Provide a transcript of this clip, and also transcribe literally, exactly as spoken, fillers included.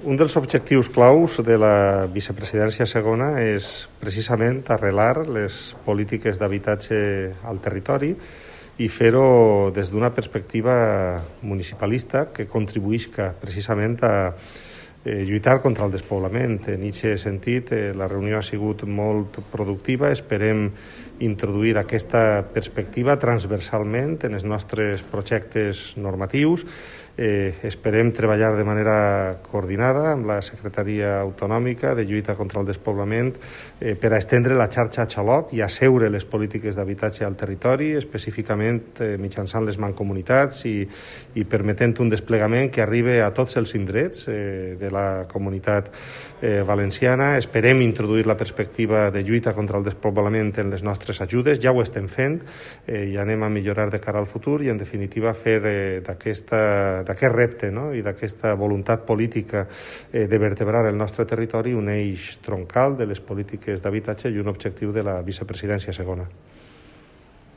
Un dels objectius claus de la vicepresidència segona és precisament arrelar les polítiques d'habitatge al territori i fer-ho des d'una perspectiva municipalista que contribuïsca precisament a eh, lluitar contra el despoblament. En aquest sentit, eh, la reunió ha sigut molt productiva. Esperem introduir aquesta perspectiva transversalment en els nostres projectes normatius. Eh, esperem treballar de manera coordinada amb la Secretaria Autonòmica de Lluita contra el Despoblament eh, per a estendre la xarxa Xalot i asseure les polítiques d'habitatge al territori, específicament eh, mitjançant les mancomunitats i, i permetent un desplegament que arribi a tots els indrets eh, de la comunitat eh, valenciana. Esperem introduir la perspectiva de lluita contra el despoblament en les nostres ajudes. Ja ho estem fent eh, i anem a millorar de cara al futur i, en definitiva, fer eh, d'aquesta d'aquest repte, no? I d'aquesta voluntat política eh, de vertebrar el nostre territori un eix troncal de les polítiques d'habitatge i un objectiu de la vicepresidència segona.